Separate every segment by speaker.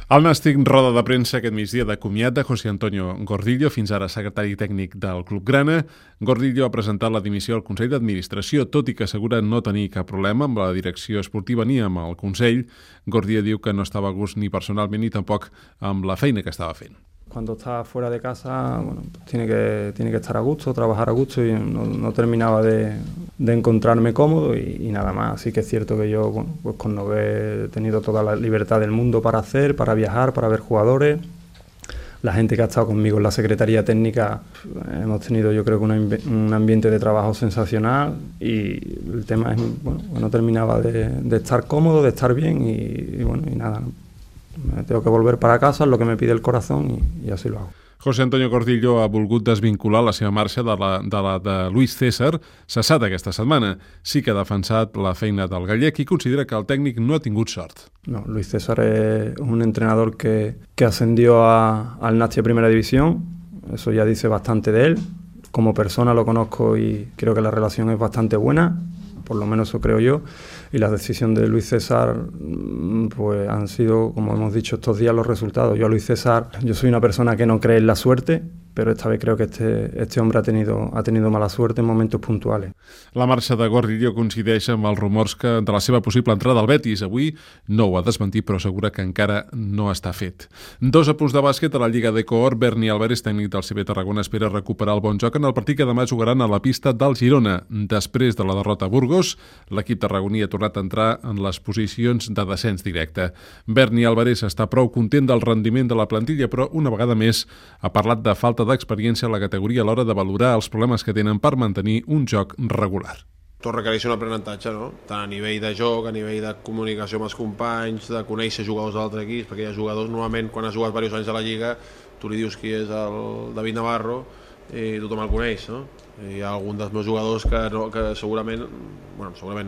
Speaker 1: El Nàstic roda de premsa aquest migdia de comiat de José Antonio Gordillo, fins ara secretari tècnic del Club Grana. Gordillo ha presentat la dimissió al Consell d'Administració, tot i que assegura no tenir cap problema amb la direcció esportiva ni amb el Consell. Gordillo diu que no estava a gust ni personalment ni tampoc amb la feina que estava fent.
Speaker 2: Cuando está fuera de casa, bueno, tiene que estar a gusto, trabajar a gusto, y no terminaba de encontrarme cómodo y nada más. Así que es cierto que yo, bueno, pues con Nogué he tenido toda la libertad del mundo para hacer, para viajar, para ver jugadores. La gente que ha estado conmigo en la Secretaría Técnica, hemos tenido, yo creo que un ambiente de trabajo sensacional, y el tema es, bueno, no terminaba de estar cómodo, de estar bien y bueno, y nada, ¿no? Me tengo que volver para casa, es lo que me pide el corazón y así lo hago.
Speaker 1: José Antonio Gordillo ha volgut desvincular la seva marxa de la de Luis César, cessat aquesta setmana. Sí que ha defensat la feina del gallec i considera que el tècnic no ha tingut sort.
Speaker 2: No, Luis César es un entrenador que ascendió al Nàstic Primera División. Eso ya dice bastante de él. Como persona lo conozco y creo que la relación es bastante buena, por lo menos eso creo yo, y las decisiones de Luis César pues han sido, como hemos dicho estos días, los resultados. Yo a Luis César, yo soy una persona que no cree en la suerte, pero esta vez creo que este hombre ha tenido mala suerte en momentos puntuales.
Speaker 1: La marxa de Gordillo coincideix amb els rumors de la seva possible entrada al Betis. Avui no ho ha desmentit, però assegura que encara no està fet. 2 apunts de bàsquet a la Lliga de Cohort. Berni Álvarez, tècnic del CB Tarragona, espera recuperar el bon joc en el partit que demà jugaran a la pista del Girona. Després de la derrota a Burgos, l'equip tarragoní ha tornat a entrar en les posicions de descens directe. Berni Álvarez està prou content del rendiment de la plantilla, però una vegada més ha parlat de falta d'experiència a la categoria a l'hora de valorar els problemes que tenen per mantenir un joc regular.
Speaker 3: Tot requereix un aprenentatge, no? Tant a nivell de joc, a nivell de comunicació amb els companys, de conèixer jugadors d'altres equips, perquè hi ha jugadors, normalment, quan has jugat diversos anys a la Lliga, tu li dius qui és el David Navarro i tothom el coneix, no? Hi ha algun dels meus jugadors que segurament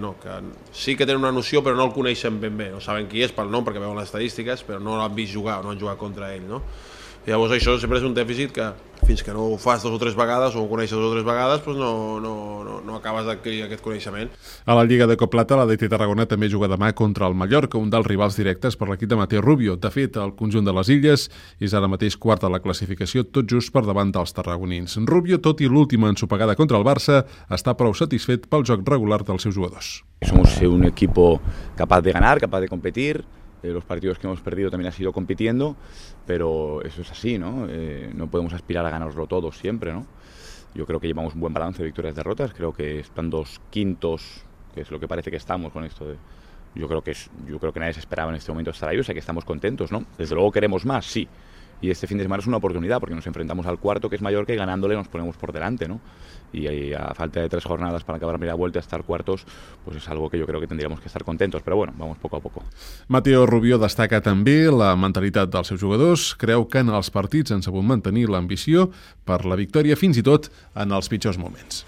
Speaker 3: no, que sí que tenen una noció però no el coneixen ben bé, no saben qui és pel nom perquè veuen les estadístiques, però no l'han vist jugar, no han jugat contra ell, no? Llavors això sempre és un dèficit que fins que no ho fas 2 o 3 vegades o ho coneixes 2 o 3 vegades doncs no acabes d'adquirir aquest coneixement.
Speaker 1: A la Lliga de Coplata, la DT Tarragona també juga demà contra el Mallorca, un dels rivals directes per l'equip de Mateo Rubio. De fet, el conjunt de les Illes és ara mateix quart a la classificació, tot just per davant dels tarragonins. Rubio, tot i l'última ensopegada contra el Barça, està prou satisfet pel joc regular dels seus jugadors.
Speaker 4: Somos un equipo capaz de ganar, capaz de competir. Los partidos que hemos perdido también ha sido compitiendo, pero eso es así, ¿no? No podemos aspirar a ganarlo todo siempre, ¿no? Yo creo que llevamos un buen balance de victorias y derrotas, creo que están 2 quintos, que es lo que parece que estamos con esto de... Yo creo que nadie se esperaba en este momento estar ahí, o sea que estamos contentos, ¿no? Desde luego queremos más, sí. Y este fin de semana es una oportunidad porque nos enfrentamos al cuarto, que es Mallorca, y ganándole nos ponemos por delante, ¿no? Y a falta de 3 jornadas para acabar la primera vuelta, estar cuartos, pues es algo que yo creo que tendríamos que estar contentos, però bueno, vamos poco a poco.
Speaker 1: Mateo Rubio destaca també la mentalitat dels seus jugadors, creu que en els partits han sabut mantenir l'ambició per la victòria fins i tot en els pitjors moments.